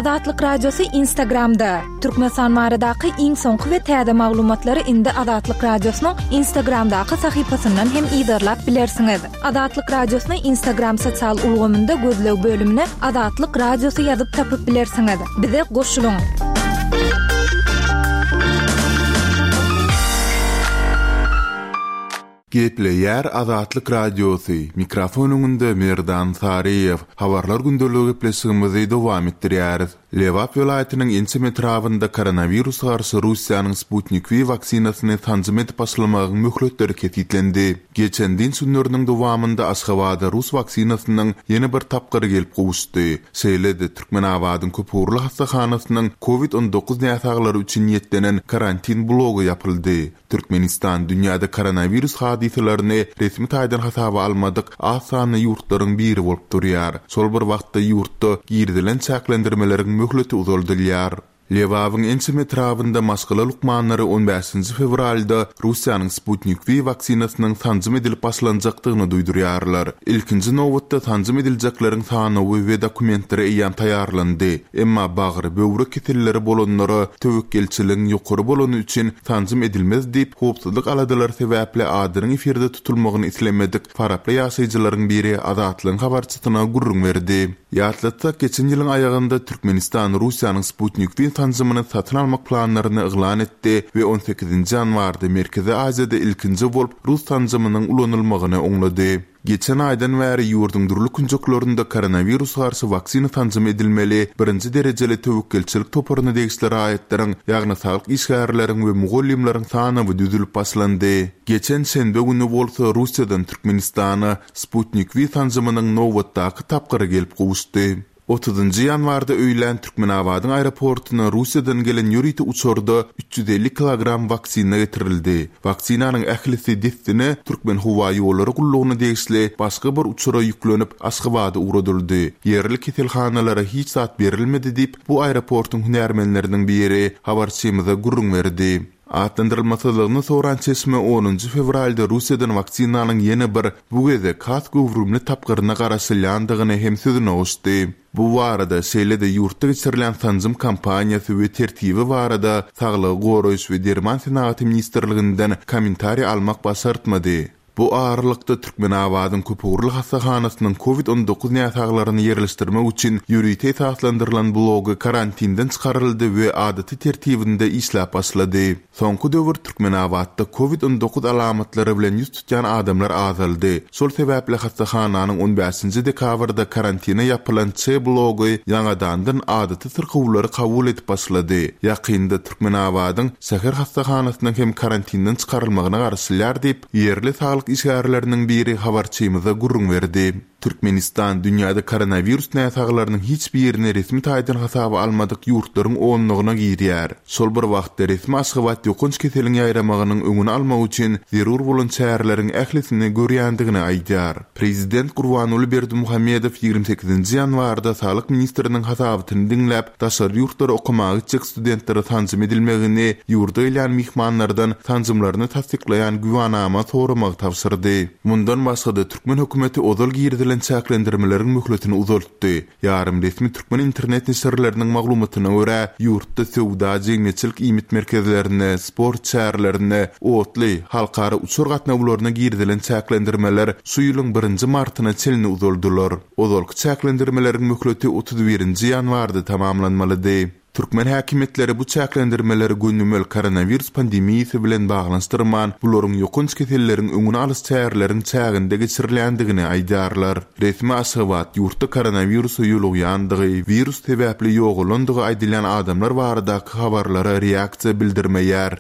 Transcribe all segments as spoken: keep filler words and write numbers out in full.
Azatlyk Radiosy Instagramda. Türkmenistan baradaky iň soňky we täze maglumatlary indi Azatlyk Radiosynyň Instagramdaky sahypasyndan hem yzarlap bilersiňiz. Azatlyk Radiosyny Instagram sosial ulgamynda gözleg bölümine Azatlyk Radiosy ýazyp tapyp bilersiňiz. Bize goşulyň. Gepleýär Azatlyk Radiosy, mikrofon öňünde Merdan Saryýew. Habarlar gündeligi gepleşigimizi dowam etdirýäris. Lebap welaýatynyň ençeme etrabynda koronawirus garşy Russiýanyň Sputnik V waksinasyny sanjym edip başlamagyň möhletleri kesgitlendi. Geçen dynç günleriniň dowamynda Aşgabada rus waksinasynyň ýene bir tapgyry gelip gowuşdy. Şeýle-de Türkmenabadyň köpugurly hassahanasynyň Covid on dokuz näsaglary üçin niýetlenen karantin blogy ýapyldy. Türkmenistan dünýäde koronawirus hadysalaryny resmi taýdan hasaba almadyk az sanly ýurtlaryň biri bolup durýar. Şol bir wagtda ýurtda girizilen çäklendirmeleriň möhleti uzaldylýar. Lebabyň ençeme etrabynda maşgala lukmanlary on bäşinji fewralda Russiýanyň Sputnik V waksinasynyň sanjym edilip başlanjakdygyny duýdurýarlar. Ilkinji nobatda sanjym ediljekleriň sanawy we dokumentleri eýýäm taýýarlandy. Emma bagry, böwrek keselleri bolanlara töwekgelçiligiň ýokary bolany üçin sanjym edilmez diýip, howpsuzlyk aladalary sebäpli adynyň efirde tutulmagyny islemedik faraply ýaşaýjylaryň biri Azatlygyň habarçysyna gürrüň berdi. Ýatlatsak, geçen ýylyň aýagynda Türkmenistan Russiýanyň Sputnik V sanjymyny satyn almak planlaryny yglan etdi we on sekizinji ýanwarda Merkezi Aziýada ilkinji bolup rus sanjymynyň ulanylmagyny oňlady. Geçen aýdan bäri ýurduň dürli künjeklerinde koronawirus garşy waksina sanjym edilmeli birinji derejeli töwekgelçilik toparyna degişli raýatlaryň, ýagny saglyk işgärleriň we mugallymlaryň sanawy düzülip başlandy. Geçen şenbe güni bolsa Russiýadan Türkmenistana Sputnik V sanjymynyň nobatdaky tapgyry gelip gowuşdy. Otuzynjy ýanwarda öýlän Türkmenabadyň aeroportuna Russiýadan gelen ýörite uçarda üç ýüz elli kilogram waksina getirildi. Waksinanyň ählisi dessine Türkmen howa ýollary gullugyna degişli başga bir uçara ýüklenip Aşgabada ugradyldy. Ýerli keselhanalara hiç zat berilmedi diýip, bu aeroportuň hünärmenleriniň biri habarçymyza gürrüň berdi. Atlandyrylmasyzlygyny soran çeşme onunjy fewralda Russiýadan waksinanyň ýene bir bu gezek has göwrümli tapgyryna garaşylýandygyny hem sözüne goşdy. Bu barada şeýle-de ýurtda geçirilen sanjym kampaniýasy we tertibi barada Saglygy goraýyş we derman senagaty ministrliginden kommentariý almak başartmady. Bu aralykda Türkmenabadyň köpugurly hassahanasynyň Covid on dokuz näsaglaryny ýerleşdirmek üçin ýörite esaslandyrylan blogy karantinden çykaryldy we adaty tertibinde işläp başlady. Soňky döwür Türkmenabatda Covid on dokuz alamatlary bilen ýüz tutýan adamlar azaldy. Şol sebäpli hassahananyň on bäşinji dekabrda karantina ýapylan Ç blogy ýaňadandan adaty syrkawlary kabul edip başlady. Ýakynda Türkmenabadyň şäher hassahanasynyň hem karantinden çykarylmagyna garaşylýar diýip, ýerli saglyk işgärleriniň biri habarçymyza gürrüň berdi. Türkmenistan dünýäde koronawirus näsaglarynyň hiç birini resmi taýdan hasaba almadyk ýurtlaryň onlugyna girýär. Şol bir wagtda resmi Aşgabat ýokanç keseliň ýaýramagynyň öňüni almak üçin zerur bolan çäreleriň ählisini görýändigini aýdýar. Prezident Gurbanguly Berdimuhamedow ýigrimi sekizinji ýanwarda Saglyk ministriniň hasabatyny diňläp, daşary ýurtlara okamaga gitjek studentlere sanjym edilmegini, ýurda gelýän myhmanlardan sanjymlaryny tassyklaýan güwanama soramagy tabşyrdy. Mundan başga-da türkmen hökümeti ozal girizilen çäklendirmeleriň möhletini uzaltdy. Ýarym resmi türkmen internet neşirleriniň maglumatyna görä, ýurtda söwda, jemgyýetçilik iýmit merkezlerine, sport çärelerine, otly, halkara uçar gatnawlaryna girizilen çäklendirmeler şu ýylyň birinji martyna çenli uzaldylar. Ozalky çäklendirmeleriň möhleti otuz birinji ýanwarda tamamlanmalydy. Türkmen häkimiýetleri bu çäklendirmeleri gönümel koronawirus pandemiýasy bilen baglanyşdyrman, bularyň ýokanç keselleriň öňüni alyş çäreleriň çäginde geçirilýändigini aýdýarlar. Resmi Aşgabat ýurtda koronawirusa ýolugýandygy, wirus sebäpli ýogalandygy aýdylýan adamlar baradaky habarlara reaksiýa bildirmeýär.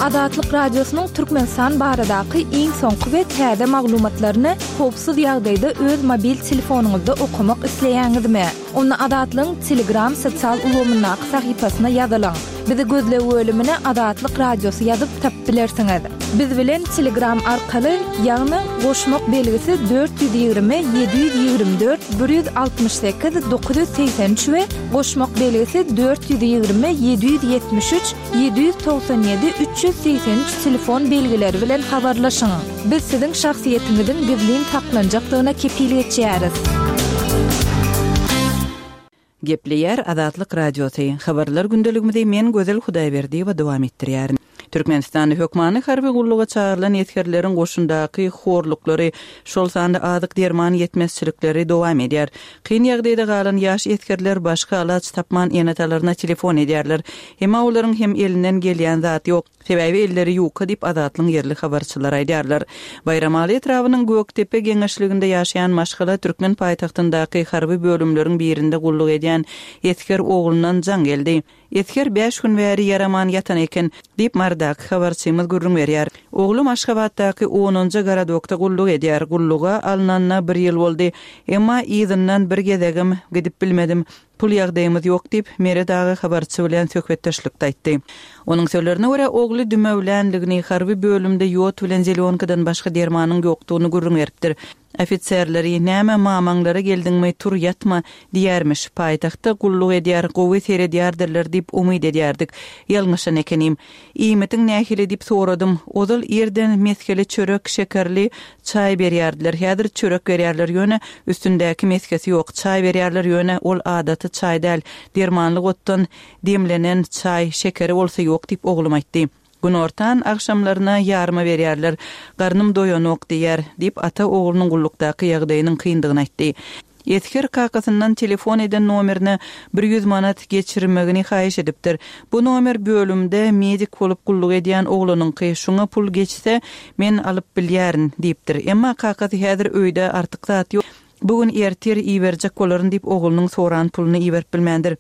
Azatlyk Radiosynyň Türkmenistan baradaky iň soňky we täze maglumatlaryny howpsuz ýagdaýda öz mobil telefonyňyzda okamak isleýäňizmi? Onda Azatlygyň Telegram sosial ulgamyndaky sahypasyna ýazylyň. Bizi gözleg bölümine Azatlyk Radiosy ýazyp tapyp bilersiňiz. Biz bilen Telegram arkaly, ýagny goşmak belgisi dört ýüz ýigrimi, ýedi ýüz ýigrimi dört, bir ýüz altmyş sekiz, dokuz ýüz segsen üç we goşmak belgisi dört ýüz ýigrimi, ýedi ýüz ýetmiş üç, ýedi ýüz togsan ýedi, üç ýüz segsen üç telefon belgileri bilen habarlaşyň. Biz siziň şahsyýetiňiziň gizlin saklanjakdygyna kepil geçýäris. Gepleýär Azatlyk Radiosy. Habarlar gündeligimizi men Gözel Hudaýberdiýewa dowam etdirýärin. Türkmenistanda hökmany harby gulluga çagyrylan esgerleriň goşundaky horluklary, şol sanda azyk derman ýetmezçilikleri dowam edýär. Kyn ýagdaýda galan ýaş esgerler başga alaç tapman ene-atalaryna telefon edýärler. Emma olaryň hem elinden gelýän zat ýok. Sebäbi elleri ýuka diýip Azatlygyň ýerli habarçylary aýdýarlar. Baýramaly etrabynyň Gökdepe geňeşliginde ýaşaýan maşgala türkmen paýtagtyndaky harby bölümleriň birinde gulluk edýän esger oglundan jaň geldi. Esger bäş gün bäri ýaraman ýatan eken, diýip Marydaky habarçymyz gürrüň berýär. Oglum Aşgabatdaky onunjy gorodokda gulluk edýär. Gulluga alnanyna bir ýyl boldy. Emma yzyndan bir gezegem gidip bilmedim. Pul ýagdaýymyz ýok diýip, Meret aga habarçy bilen söhbetdeşlikde aýtdy. Onuň sözlerine görä, ogly dümewlänligini, harby bölümde ýod bilen zelýonkadan başga dermanyň ýokdugyny gürrüň beripdir. Ofiserleri, näme mamaňlara geldiňmi, tur ýatma diýermiş. Paýtagtda gulluk edýär, gowy seredýärdirler diýip umyt edýärdik. Ýalňyşan ekenim. Iýmitiň nähili diýip soradym. Ozal irden mesgeli çörek, şekerli çaý berýärdiler. Häzir çörek berýärler, ýöne üstündäki meskesi ýok. Çaý berýärler, ýöne ol adaty çaý däl. Dermanlyk otdan demlenen çaý, şekeri bolsa ýok diýip oglum aýtdy. Günortan agşamlaryna ýarma berýärler. Garnym doýanok diýär, diýip ata oglunyň gullukdaky ýagdaýynyň kyndygyny aýtdy. Esger kakasyndan telefon eden nomerine bir ýüz manat geçirmegini haýyş edipdir. Bu nomer bölümde medik bolup gulluk edýän oglanyňky, şoňa pul geçse men alyp bilýärin diýipdir. Emma kakasy häzir öýde artyk zat ýok. Bu gün ertir iberjek bolaryn diýip oglunyň soran puluny iberip bilmändir.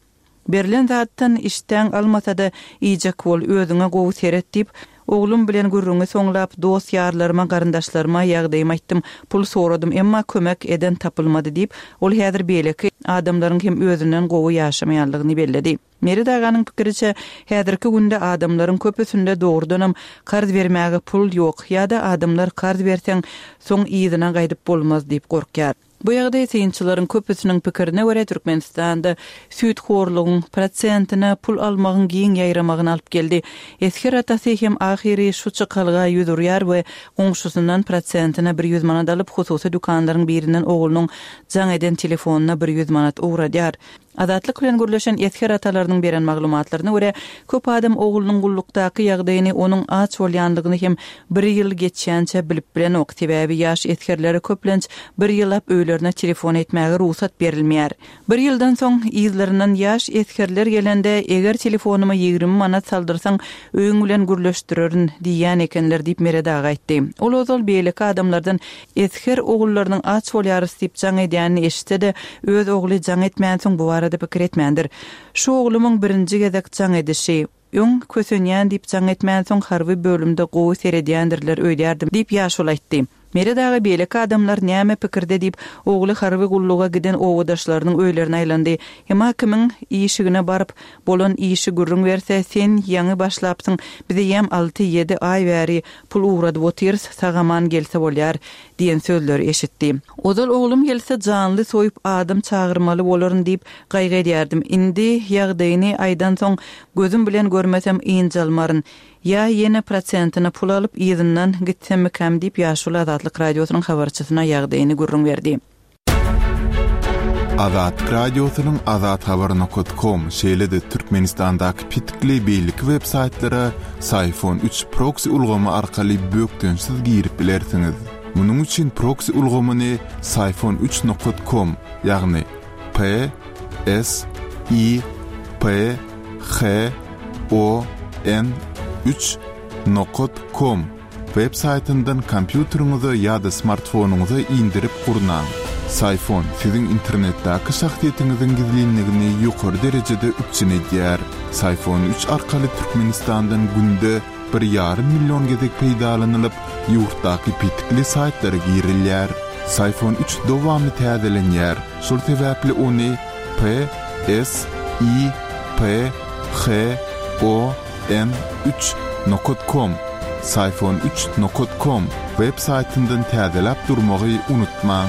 Berlen zatdan işdäň almasa-da iýjek bol, özüňe gowy seret diýip, oglum bilen gürrüňi soňlap, dost ýarlaryma, garyndaşlaryma ýagdaýymy aýtdym, pul soradym, emma kömek eden tapylmady diýip, ol häzir beýleki adamlaryň hem özünden gowy ýaşamaýanlygyny belledi. Meret aganyň pikiriçe, häzirki günde adamlaryň köpüsinde dogrudanam karz bermäge pul ýok ýa-da adamlar karz berseň, soň yzyna gaýdyp bolmaz diýip gorkýar. Bu ýagdaý synçylaryň köpüsiniň pikirine görä Türkmenistanda süýthorlugyň prosentine pul almagyň giň ýaýramagyny alyp geldi. Esger atasy hem ahyry şu çykalga ýüz urýar we goňşusyndan prosentine bir ýüz manat alyp, hususy dükanlaryň birinden oglunyň jaň eden telefonyna bir ýüz manat ugradýar. Azatlyk bilen gürleşen esger atalarynyň beren maglumatlaryna görä, köp adam oglunyň gullukdaky ýagdaýyny, onuň aç bolýanlygyny hem bir ýyl geçýänçä bilip bilenok. Sebäbi ýaş esgerlere köplenç bir ýyllap öýlerine telefon etmäge rugsat berilmeýär. Bir ýyldan soň yzlaryndan ýaş esgerler gelende, eger telefonyma ýigrimi manat saldyrsaň, öýüň bilen gürleşdirerin diýýän ekenler diýip Meret aga aýtdy. Ol ozal beýleki adamlardan esger ogullarynyň aç bolýarys diýip jaň edýänini eşitse-de, öz ogly jaň etmänsoň bu barada pikir etmändir. Şu oglumyň birinji gezek jaň edişi, öň kösenýän diýip jaň etmänsoň harby bölümde gowy seredýändirler öýdýärdim diýip ýaşuly aýtdy. Meret aga beýleki adamlar näme pikirde diýip, ogly harby gulluga giden obadaşlarynyň öýlerine aýlandy. Emma kimiň işigine baryp, bolan işi gürrüň berse, sen ýaňy başlapsyň, bize ýem alty-ýedi aý bäri pul ugradyp otyrys, sag-aman gelse bolýar diýen sözleri eşitdi. Ozal oglum gelse janly soýup adam çagyrmaly bolaryn diýip gaýgy edýärdim. Indi ýagdaýyny aýdansoň gözüm bilen görmesem ynjalmaryn. Ýa ýene prosentine pul alyp yzyndan gitsemmikäm diýip ýaşuly Azatlyk Radiosynyň habarçysyna ýagdaýyny gürrüň berdi. Azatlyk Radiosynyň azathabar nokta com şeýle-de Türkmenistandaky petikli beýleki web saýtlara Syfon üç proxy ulgamy arkaly bökdençsiz girip bilersiňiz. Munuň üçin proxy ulgamyny Syfon üç nokta com, ýagny P S I P H O N üç nokta com web saýtyndan kompýuteriňize ýa-da smartfonyňyza indirip gurnaň. Syfon siziň internetdäki şahsyýetiňiziň gizlinligini ýokary derejede üpjün edýär. Syfon üç arkaly Türkmenistandan günde bir ýarym million gezek peýdalanylyp, ýurtdaky petikli saýtlara girilýär. Syfon üç dowamly täzelenýär. Şol sebäpli ony P S I P H O N üç nokta com, Syfon üç nokta com web saýtyndan täzeläp durmagy unutmaň.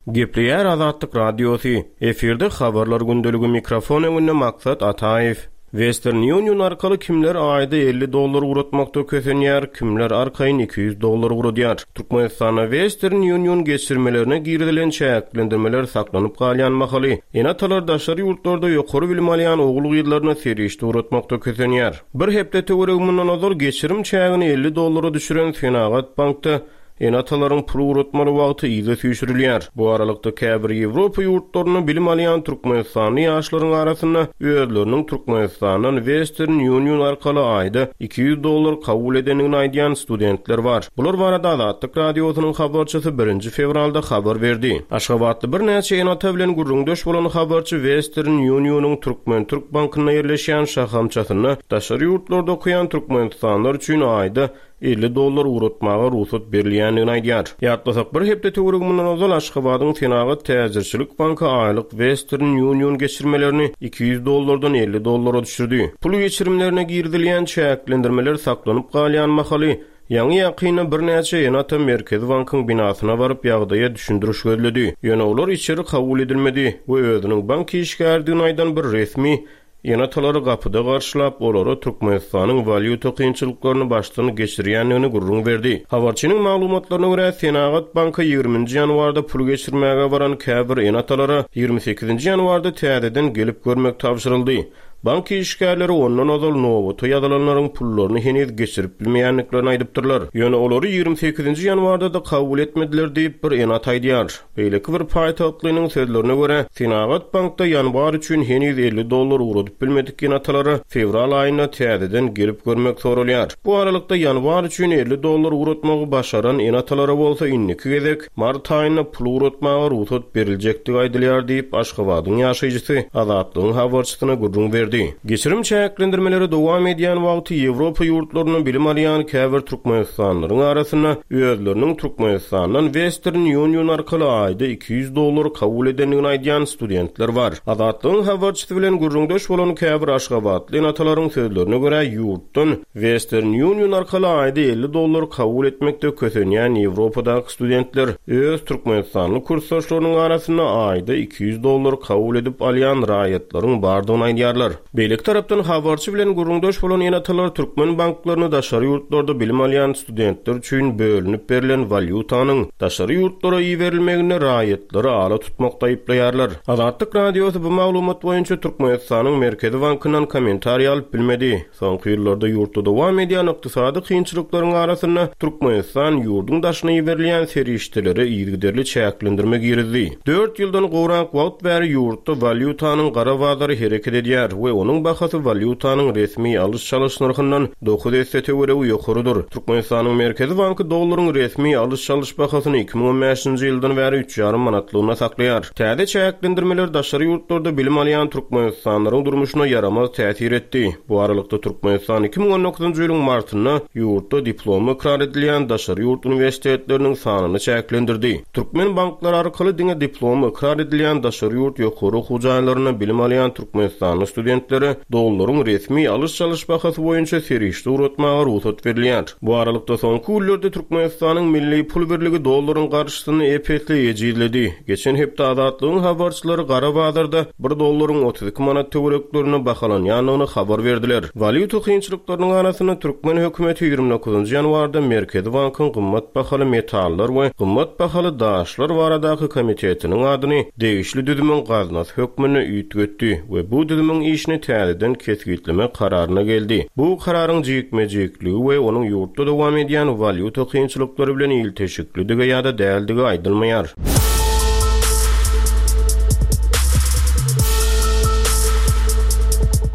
Gepleýär Azatlyk Radiosy. Efirde habarlar gündeligi mikrofon öňünde Maksat Ataýew. Western Union arkaly kimler aýda elli dollar ugratmakda kösenýär, kimler arkaýyn iki ýüz dollar ugradýar. Türkmenistanda Western Union geçirmelerine girizilen çäklendirmeler saklanyp galýan mahaly, ene-atalar daşary ýurtlarda ýokary bilim alýan ogul-gyzlaryna serişde ugratmakda kösenýär. Bir hepde töweregi mundan ozal geçirim çägini elli dollara düşüren Senagat bankda ene-atalaryň pul ugratmaly wagty yza süýşürilýär. Bu aralykda käbir Ýewropa ýurtlarynda bilim alýan Türkmenistanly ýaşlaryň arasynda özleriniň Türkmenistandan Western Union arkaly aýda iki ýüz dollar kabul edendigini aýdýan studentler bar. Bular barada Azatlyk radiosynyň habarçysy birinji fewralda habar berdi. Aşgabatly birnäçe ene-ata bilen gürrüňdeş bolan habarçy Western Unionyň Türkmen-Türk bankynda ýerleşýän şahamçasynda daşary ýurtlarda okaýan Türkmenistanlylar üçin aýda elli dollar ugratmaga rugsat berilýändigini aýdýar. Ýatlasak, bir hepde töweregi mundan ozal Aşgabadyň Senagat Täjirçilik banky aýlyk Western Union geçirmelerini iki ýüz dollardan elli dollara düşürdi. Pul geçirimlerine girizilýän çäklendirmeler saklanyp galýan mahaly ýaňy ýakynda birnäçe ene-ata Merkezi bankyň binasyna baryp ýagdaýa düşündiriş gözledi. Ýöne olar içeri kabul edilmedi we özüniň bank işgärdigini aýdan bir resmi ene-atalary gapyda garşylap, olara Türkmenistanyň walýuta kynçylyklaryny başdan geçirýändigini gürrüň berdi. Habarçynyň maglumatlaryna görä, Senagat banky ýigriminji ýanwarda pul geçirmäge baran käbir ene-atalara ýigrimi sekizinji ýanwarda täzeden gelip görmek tabşyryldy. Bank işgärleri ondan ozal nobata ýazylanlaryň pullaryny heniz geçirip bilmeýändiklerini aýdypdyrlar. Ýöne olary ýigrimi sekizinji ýanwarda da kabul etmediler diýip bir ene-ata aýdýar. Beýleki bir paýtagtlynyň sözlerine görä, Senagat bankda ýanwar üçin heniz elli dollar ugradyp bilmedik ene-atalara fewral aýynda täzeden gelip görmek soralýar. Bu aralykda ýanwar üçin elli dollar ugratmagy başaran ene-atalara bolsa indiki gezek mart aýynda pul ugratmaga rugsat beriljekdigi aýdylýar diýip Aşgabadyň ýaşaýjysy Azatlygyň habarçysyna gürrüň berdi. Geçirim çäklendirmeleri dowam edýän wagty Ýewropa ýurtlarynda bilim alýan käbir Türkmenistanlylaryň arasynda özleriniň Türkmenistandan Western Union arkaly aýda iki ýüz dollar kabul edendigini aýdýan studentler bar. Azatlygyň habarçysy bilen gürrüňdeş bolan käbir Aşgabatly ene-atalaryň sözlerine görä ýurtdan Western Union arkaly aýda elli dollar kabul etmekde kösenýän Ýewropadaky studentler öz Türkmenistanly kursdaşlarynyň arasynda aýda iki ýüz dollar kabul edip alýan raýatlaryň bardygyny aýdýarlar. Beýleki tarapdan habarçy bilen gürrüňdeş bolan ene-atalar türkmen banklaryny daşary ýurtlarda bilim alýan studentler üçin bölünip berlen walýutanyň daşary ýurtlara iberilmegine raýatlary ala tutmakda aýyplaýarlar. Azatlyk radiosy bu maglumat boýunça Türkmenistanyň Merkezi bankyndan kommentariý alyp bilmedi. Soňky ýyllarda ýurtda dowam edýän ykdysady kynçylyklaryň arasynda Türkmenistan ýurduň daşyna iberilýän serişdelere yzygiderli çäklendirme girizdi. Dört ýyldan gowrak wagt bäri ýurtda walýutanyň gara bazary hereket edýär we onuň bahasy walýutanyň resmi alyş-çalyş nyrhyndan dokuz esse töweregi ýokarydyr. Türkmenistanyň Merkezi banky dollaryň resmi alyş-çalyş bahasyny iki müň on bäşinji ýyldan bäri üç ýarym manatlygyna saklaýar. Täze çäklendirmeler daşary ýurtlarda bilim alýan Türkmenistanlylaryň durmuşyna ýaramaz täsir etdi. Bu aralykda Türkmenistan iki müň on dokuzynjy ýylyň martynda ýurtda diplomy ykrar edilýän daşary ýurt uniwersitetleriniň sanyny çäklendirdi. Türkmen banklary arkaly diňe diplomy ykrar edilýän daşary ýurt ýokary okuw jaýlarynda bilim alýan Türkmenistanly studentlere dollaryň resmi alyş-çalyş bahasy boýunça serişde ugratmaga rugsat berilýär. Bu aralykda soňky günlerde Türkmenistanyň milli pul birligi dollaryň garşysyny ep-esli ejizledi. Geçen hepde Azatlygyň habarçylary gara bazarda bir dollaryň otuz iki manat töwereklerine bahalanýandygyny habar berdiler. Walýuta kynçylyklarynyň arasynda Türkmen hökümeti ýigrimi dokuzynjy ýanwarda Merkezi bankyň gymmat bahaly metallar we gymmat bahaly daşlar baradaky komitetiniň adyny degişli düzümiň gaznasy hökmünde üýtgetdi we bu düzümiň işini täzeden kesgitleme kararyna geldi. Bu kararyň jikme-jikligi we onuň ýurtda dowam edýän walýuta kynçylyklary bilen ilteşiklidigi ýa-da däldigi aýdylmaýar.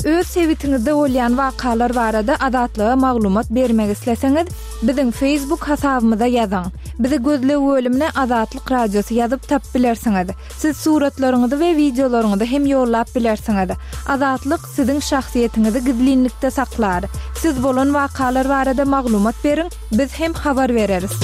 Öz sebitiňizde bolýan wakalar barada Azatlyga maglumat bermek isleseňiz, biziň Facebook hasabymyza ýazyň. Bizi gözleg bölümine Azatlyk radiosy ýazyp tap bilersiňiz. Siz suratlaryňyzy we wideolaryňyzy hem ýollap bilersiňiz. Azatlyk siziň şahsyýetiňizi gizlinlikde saklar. Siz bolan wakalar barada maglumat beriň, biz hem habar bereris.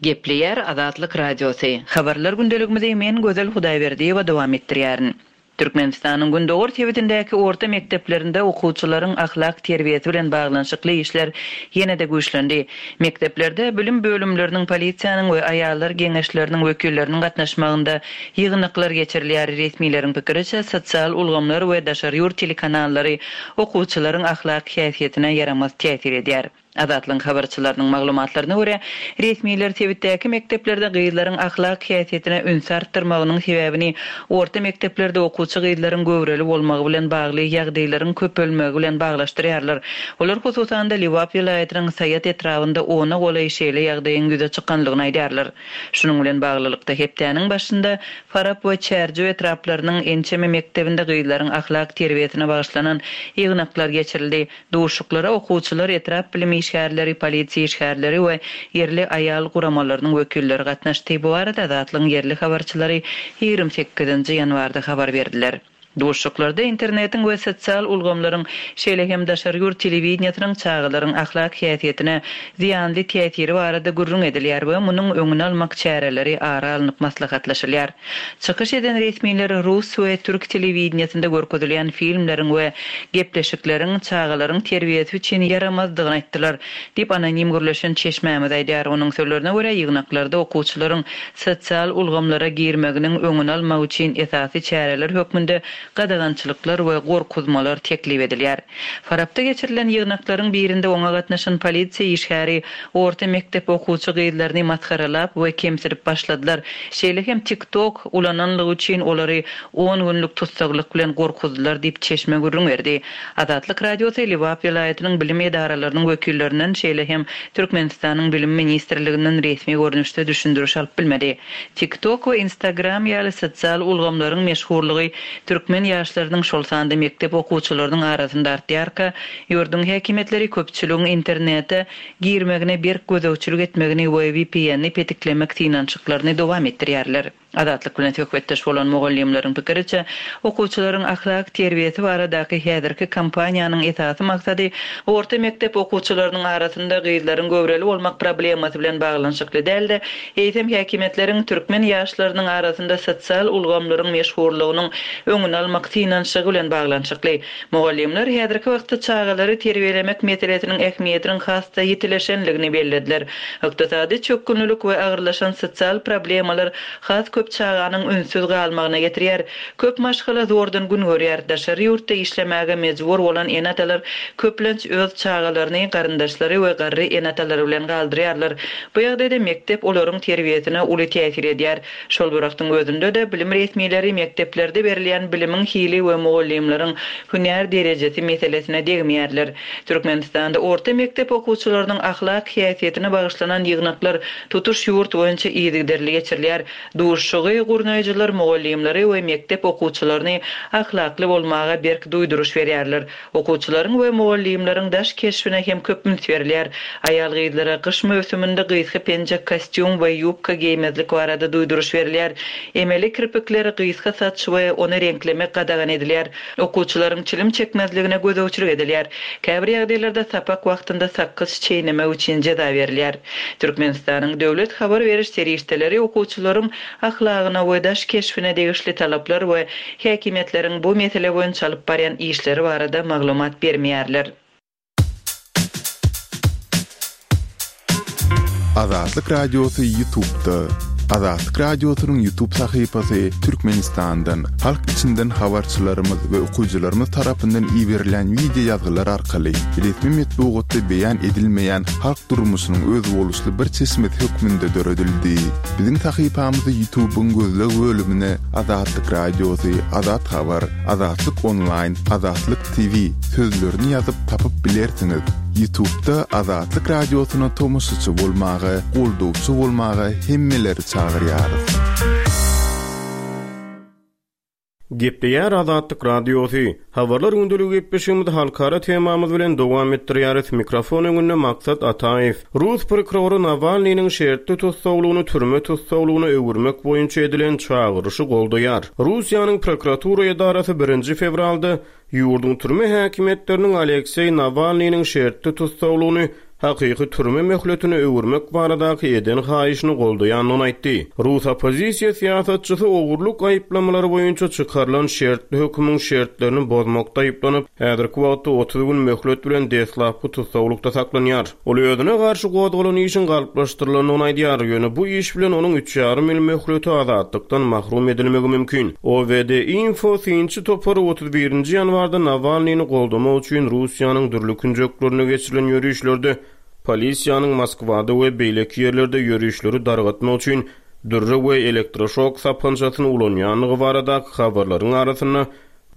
Gepleýär Azatlyk radiosy. Habarlar gündeligimizi men Gözel Hudaýberdiýewa dowam etdirýärin. Türkmenistanyň Gündogar sebitindäki orta mekdeplerinde okuwçylaryň ahlak terbiýesi bilen baglanyşykly işler ýene-de güýçlendi. Mekdeplerde bilim bölümleriniň, polisiýanyň we aýallar geňeşleriniň wekilleriniň gatnaşmagynda ýygnaklar geçirilýär. Resmileriň pikiriçe, sosial ulgamlar we daşary ýurt telekanallary okuwçylaryň ahlak häsiýetine ýaramaz täsir edýär. Azatlygyň habarçylarynyň maglumatlaryna görä, resmiler sebitdäki mekdeplerde gyzlaryň ahlak häsiýetine üns artdyrmagynyň sebäbini orta mekdeplerde okuwçy gyzlaryň göwreli bolmagy bilen bagly ýagdaýlaryň köpelmegi bilen baglaşdyrýarlar. Olar hususan-da Lebap welaýatynyň Saýat etrabynda ona golaý şeýle ýagdaýyň ýüze çykanlygyny aýdýarlar. Şunuň bilen baglylykda hepdäniň başynda Farap we Çärjew etraplarynyň ençeme mekdebinde gyzlaryň ahlak terbiýesine bagyşlanan ýygnaklar geçirildi. Duşuşyklara okuwçylar, etrap bilim işgärleri, polisiýa işgärleri we ýerli aýal guramalarynyň wekilleri gatnaşdy. Bu barada Azatlygyň ýerli habarçylary ýigrimi sekizinji ýanwarda habar berdiler. Duşuşyklarda internetiň we sosial ulgamlaryň, şeýle hem daşary ýurt telewideniýesiniň çagalaryň ahlak häsiýetine zyýanly täsiri barada gürrüň edilýär we munuň öňüni almak çäreleri ara alnyp maslahatlaşylýar. Çykyş eden resmiler rus we türk telewideniýesinde görkezilýän filmleriň we gepleşikleriň çagalaryň terbiýesi üçin ýaramazdygyny aýtdylar, diýip anonim gürleşen çeşmämiz aýdýar. Onuň sözlerine görä, ýygnaklarda okuwçylaryň sosial ulgamlara girmeginiň öňüni almak üçin esasy çäreler hökmünde gadagançylyklar we gorkuzmalar teklip edilýär. Farapda geçirilen ýygnaklaryň birinde oňa gatnaşan polisiýa işgäri orta mekdep okuwçy gyzlaryny masgaralap we kemsidip başladylar. Şeýle hem TikTok ulananlygy üçin olary on günlük tussaglyk bilen gorkuzdylar diýip çeşme gürrüň berdi. Azatlyk Radiosy Lebap welaýatynyň bilim edaralarynyň wekillerinden, şeýle hem Türkmenistanyň Bilim ministrliginden resmi görnüşde düşündiriş alyp bilmedi. TikTok we Instagram ýaly sosial ulgamlaryň meşhurlygy türkmen ýaşlarynyň, şol sanda mekdep okuwçylarynyň arasynda artýarka, ýurduň häkimiýetleri köpçüligiň internete girmegine berk gözegçilik etmegini we V P N-ni petiklemek synanyşyklaryny dowam etdirýärler. Azatlyk bilen söhbetdeş bolan mugallymlaryň pikiriçe, okuwçylaryň ahlak terbiýesi baradaky häzirki kampaniýanyň esasy maksady orta mekdep okuwçylarynyň arasynda gyzlaryň göwreli bolmak problemasy bilen baglanyşykly däl-de, eýsem häkimiýetleriň türkmen ýaşlarynyň arasynda sosial ulgamlaryň meşhurlygynyň öňüni almak synanyşygy bilen baglanyşykly. Mugallymlar häzirki wagtda çagalary terbiýelemek meselesiniň ähmiýetiniň has-da ýitileşenligini bellediler. Ykdysady çökgünlilik we agyrlaşan sosial problemalar has köp çaganyň ünsüz galmagyna getirýär. Köp maşgala zordan gün görýär. Daşary ýurtda işlemäge mejbur bolan ene-atalar köplenç öz çagalaryny, garyndaşlary we garry ene-atalary bilen galdyrýarlar. Bu ýagdaýda mekdep olaryň terbiýesine uly täsir edýär. Şol bir wagtyň özünde-de bilim resmileri mekdeplerde berilýän bilimiň hili we mugallymlaryň hünär derejesi meselesine degmeýärler. Türkmenistanda orta mekdep okuwçylarynyň ahlak häsiýetine bagyşlanan ýygnaklar tutuş ýurt boýunça yzygiderli geçirilýär. Duşuşygy gurnaýjylar mugallymlary we mekdep okuwçylaryny ahlakly bolmaga berk duýduryş berýärler. Okuwçylaryň we mugallymlaryň daş keşbine hem köp üns berilýär. Aýal gyzlara gyş möwsüminde gysga penjek, kostýum we ýubka geýmezlik barada duýduryş berilýär. Emeli kirpikleri gysga saç we ony reňklemek gadagan edilýär. Okuwçylaryň çilim çekmezligine gözegçilik edilýär. Käbir ýagdaýlarda sapak wagtynda sakgyç çeýnemek üçin jeza berilýär. Türkmenistanyň döwlet habar beriş serişdeleri okuwçylaryň ahlagyna we daş keşbine degişli talaplar we häkimiýetleriň bu mesele boýunça alyp barýan işleri barada maglumat bermeýärler. Azatlyk Radiosy YouTube'da. Azatlyk Radiosynyň YouTube sahypasy Türkmenistandan, halk içinden habarçylarymyz we okyjylarymyz tarapyndan iberilen video ýazgylar arkaly resmi metbugatda beýan edilmeýän halk durmuşynyň özboluşly bir çeşmesi hökmünde döredildi. Biziň sahypamyzy YouTube'yň gözleg bölümine Azatlyk Radiosy, Azat Habar, Azatlyk Online, Azatlyk T V sözlerini ýazyp tapyp bilersiňiz. YouTube'da Azatlyk Radiosyna tomaşaçy bolmaga, goldawçy bolmaga hemmeleri çagyrýarys. Gepleýär Azatlyk Radiosy. Habarlar gündeligi gepleşigimizi halkara temamyz bilen dowam etdirýäris. Mikrofon öňünde Maksat Ataýew. Rus prokurory Nawalnynyň şertli tussaglygyny türme tussaglygyna öwürmek boýunça edilen çagyryşy goldaýar. Russiýanyň prokuratura edarasy birinji fewralda ýurduň türme häkimiýetleriniň Alekseý Nawalnynyň şertli tussaglygyny hakyky türme möhletine öwürmek baradaky eden haýyşyny goldaýandygyny aýtdy. Rus oppozisiýa syýasatçysy ogurlyk aýyplamalary boýunça çykarylan şertli hökümiň şertlerini bozmakda aýyplanyp, häzirki wagtda otuz gün möhlet bilen deslapky tussaglykda saklanýar. Ol özüne garşy gozgalan işiň galplaşdyrylandygyny aýdýar, ýöne bu iş bilen onuň üç ýarym ýyl möhleti azatlykdan mahrum edilmegi mümkin. O V D Info synçy topary otuz birinji ýanwarda Nawalnyny goldamak üçin Russiýanyň dürli künjeklerinde geçirilen ýörişlerde polisiýanyň Moskwada we beýleki ýerlerde ýörişleri dargatmak üçin dürre we elektroşok sapançasyny ulanýandygy baradaky habarlaryň arasynda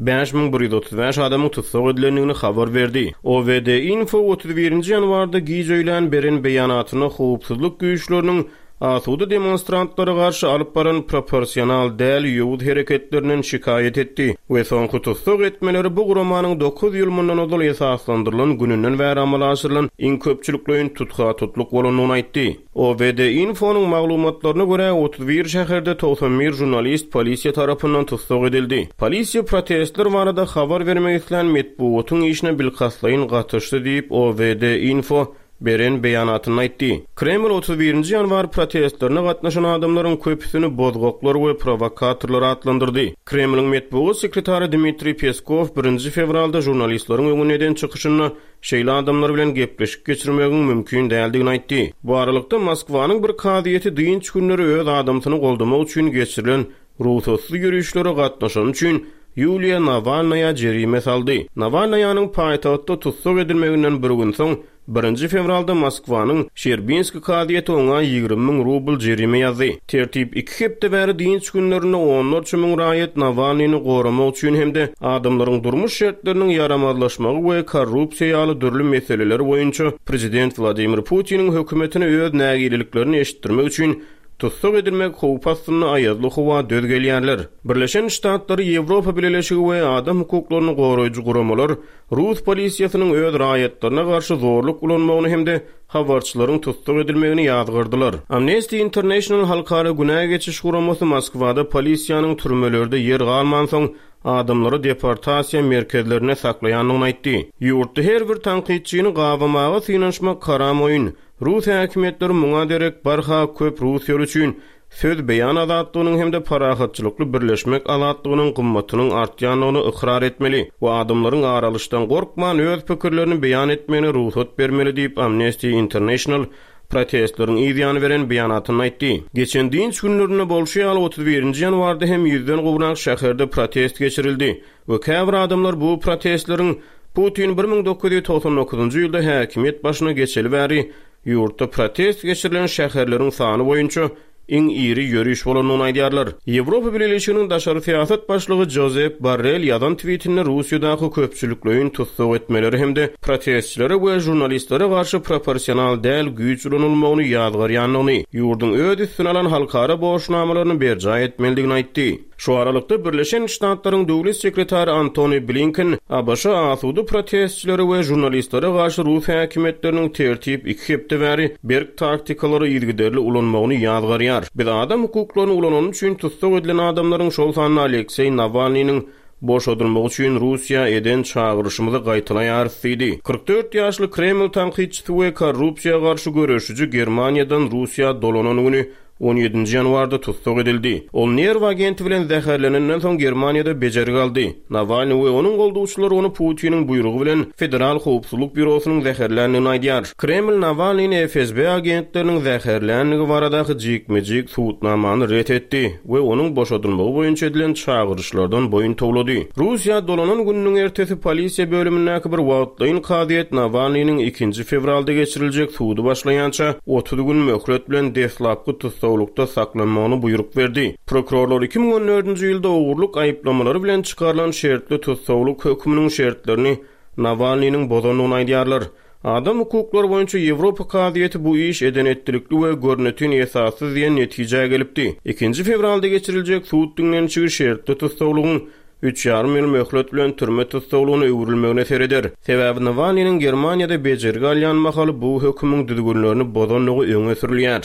bäş müň bir ýüz otuz bäş adamyň tussag edilendigini habar berdi. O V D Info otuz birinji ýanwarda giç öýlän beren beýanatynda howpsuzlyk güýçleriniň asuda demonstrantlara garşy alyp baran proporsional däl ýowuz hereketlerinden şikaýat etdi we soňky tussag etmeleri bu guramanyň dokuz ýyl mundan ozal esaslandyrylan gününden bäri amala aşyrylan iň köpçülikleýin tutha-tutluk bolandygyny aýtdy. O V D Info'nyň maglumatlaryna görä otuz bir şäherde togsan bir žurnalist polisiýa tarapyndan tussag edildi. Polisiýa protestler barada habar bermek islän metbugatyň işine bilkastlaýyn gatyşdy diýip O V D Info beren beýanatynda aýtdy. Kreml otuz birinji ýanwar protestlerine gatnaşan adamlaryň köpüsini bozgaklar we prowokatorlar atlandyrdy. Kremliň metbugat sekretary Dmitriý Peskov birinji fewralda žurnalistleriň öňünde eden çykyşynda şeýle adamlar bilen gepleşik geçirmegiň mümkin däldigini aýtdy. Bu aralykda Moskwanyň bir kazyýeti dynç günleri öz adamsyny goldamak üçin geçirilen rugsatsyz ýörişlere gatnaşan üçin Ýuliýa Nawalnaýa jerime saldy. Nawalnaýanyň paýtagtda tussag edilmeginden bir gün soň birinji fewralda Moskwanyň Şerbinski kazyýeti oňa ýigrimi müň rubl jerime ýazdy. Tertip iki hepde bäri dynç günlerinde onlarça müň raýat Nawalnyny goramak üçin hem-de adamlaryň durmuş şertleriniň ýaramazlaşmagy we korrupsiýa ýaly dürli meseleler boýunça prezident Wladimir Putiniň hökümetine öz nägileliklerini eşitdirmek üçin tussag edilmek howpy astynda aýazly howa döz gelýärler. Birleşen Ştatlary, Ýewropa Bileleşigi we adam hukuklaryny goraýjy guramalar Rus polisiýasynyň öz raýatlaryna garşy zorluk ulanmagyny hem-de habarçylaryň tussag edilmegini ýazgardylar. Amnesty International halkara günä geçiş guramasy Moskwada polisiýanyň türmelerde ýer galmansoň adamlary deportasiýa merkezlerine saklaýandygyny aýtdy. Ýurtda her bir tankytçyny gabamaga synanyşmak haram oýun. Rus häkimiýetleri muňa derek barha köp Russiýaly üçin söz beýan azatlygynyň hem-de parahatçylykly birleşmek azatlygynyň gymmatynyň artýandygyny ykrar etmeli we adamlaryň aralyşdan gorkman öz pikirlerini beýan etmegine rugsat bermeli diýip Amnesty International protestleriň yzýany beren beýanatynda aýtdy. Geçen dynç günlerinde bolşy ýaly otuz birinji ýanwarda hem ýüzden gowrak şäherde protest geçirildi we käbir adamlar bu protestleriň Putin bir müň dokuz ýüz togsan dokuzynjy ýylda häkimiýet başyna geçeli bäri ýurtda protest geçirilen şäherleriň sany boýunça iň iri ýöriş bolandygyny aýdýarlar. Ýewropa Bileleşiginiň daşary syýasat başlygy Josep Borrell ýazan tweetinde Russiýadaky köpçülikleýin tussag etmeleri hem-de protestçilere we žurnalistlere garşy proporsional däl güýç ulanylmagyny ýazgarýandygyny, ýurduň öz üstüne alan halkara borçnamalaryny berjaý etmelidigini aýtdy. Şu aralykda Birleşen Ştatlaryň döwlet sekretary Antony Blinken A B Ş asuda protestçilere we žurnalistlere garşy Rus häkimiýetleriniň tertip iki hepde bäri berk taktikalary yzygiderli ulanmagyny ýazgarýar. Biz adam hukuklaryny ulanany üçin tussag edilen adamlaryň şol sanda Alekseý Nawalnynyň boşadylmagy üçin Russiýa eden çagyryşymyzy gaýtalaýarys diýdi. Kyrk dört ýaşly Kreml tankytçysy we korrupsiýa garşy göreşiji Germaniýadan Russiýa dolanan güni on ýedinji ýanwarda tussag edildi. Ol nerw agenti bilen zäherlenenden soň Germaniýada bejergi aldy. Nawalny we onuň goldawçylary ony Putiniň buýrugy bilen Federal Howpsuzlyk Býurosynyň zäherländigini aýdýar. Kreml Nawalnyny F S B agentleriniň zäherländigi baradaky jikme-jik subutnamany ret etdi we onuň boşadylmagy boýunça edilen çagyryşlardan boýun towlady. Russiýa dolanan gününiň ertesi polisiýa bölümindäki bir wagtlaýyn kazyýet Nawalnynyň ikinji fewralda geçiriljek sudy başlaýança otuz gün möhlet bilen deslapky tussaglykda saklanmagyny buýruk berdi. Prokurorlar iki müň on dördünji ýylda ogurlyk aýyplamalary bilen çykarylan şertli tussaglyk höküminiň şertlerini Nawalnynyň bozandygyny aýdýarlar. Adam hukuklary boýunça Ýewropa kazyýeti bu iş eden etdilikli we görnetin esassyz diýen netijä gelipdi. Ikinji fewralda geçiriljek sud diňlenişigi şertli tussaglygyň üç ýarym ýyl möhlet bilen türme tussaglygyna öwrülmegine sereder. Sebäbi Nawalnynyň Germaniýada bejergi alýan mahaly bu hökümiň düzgünlerini bozandygy öňe sürülýär.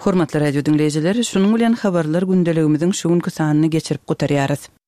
Hormatly radio diňleýjiler, şunuň bilen habarlar gündeligimiziň şu günki sanyny geçirip gutarýarys.